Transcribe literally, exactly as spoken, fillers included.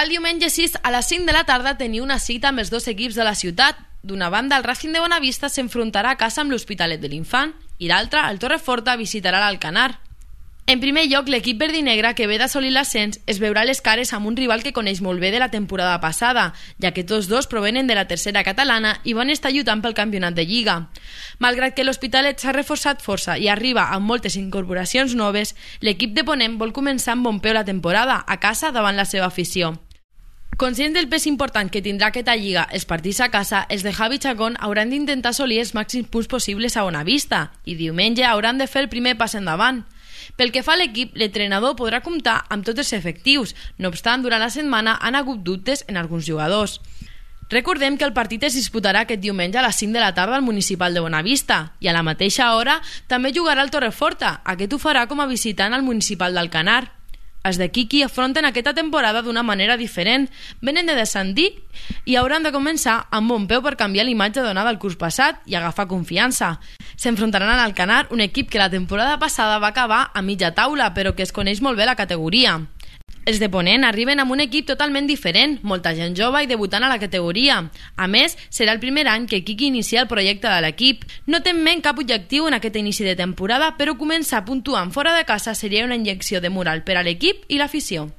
El diumenge sis a les cinc de la tarda tenia una cita amb els dos equips de la ciutat. D'una banda, el Racing de Bonavista s'enfrontarà a casa amb l'Hospitalet de l'Infant i l'altra, el Torreforta, visitarà l'Alcanar. En primer lloc, l'equip verdinegre, que ve d'assolir l'ascens, es veurà les cares amb un rival que coneix molt bé de la temporada passada, ja que tots dos provenen de la tercera catalana i van estar lluitant pel campionat de Lliga. Malgrat que l'Hospitalet s'ha reforçat força i arriba amb moltes incorporacions noves, l'equip de Ponent vol començar amb bon peu la temporada, a casa davant la seva afició. Conscient del pes important que tindrà aquesta lliga els partits a casa, els de Javi Chacón hauran d'intentar assolir els màxims punts possibles a Bonavista i diumenge hauran de fer el primer pas endavant. Pel que fa a l'equip, l'entrenador podrà comptar amb tots els efectius, no obstant, durant la setmana han hagut dubtes en alguns jugadors. Recordem que el partit es disputarà aquest diumenge a les cinc de la tarda al Municipal de Bonavista i a la mateixa hora també jugarà el Torreforta, aquest ho farà com a visitant al Municipal d'Alcanar. Els de Quiqui afronten aquesta temporada d'una manera diferent, venen de descendir i hauran de començar amb bon peu per canviar l'imatge donada el curs passat i agafar confiança. S'enfrontaran a l'Alcanar, un equip que la temporada passada va acabar a mitja taula, però que es coneix molt bé la categoria. Els de Ponent arriben amb un equip totalment diferent, molta gent jove i debutant a la categoria. A més, serà el primer any que Quiqui inicia el projecte de l'equip. No tenen cap objectiu en aquest inici de temporada, però començar puntuant fora de casa seria una injecció de moral per a l'equip i l'afició.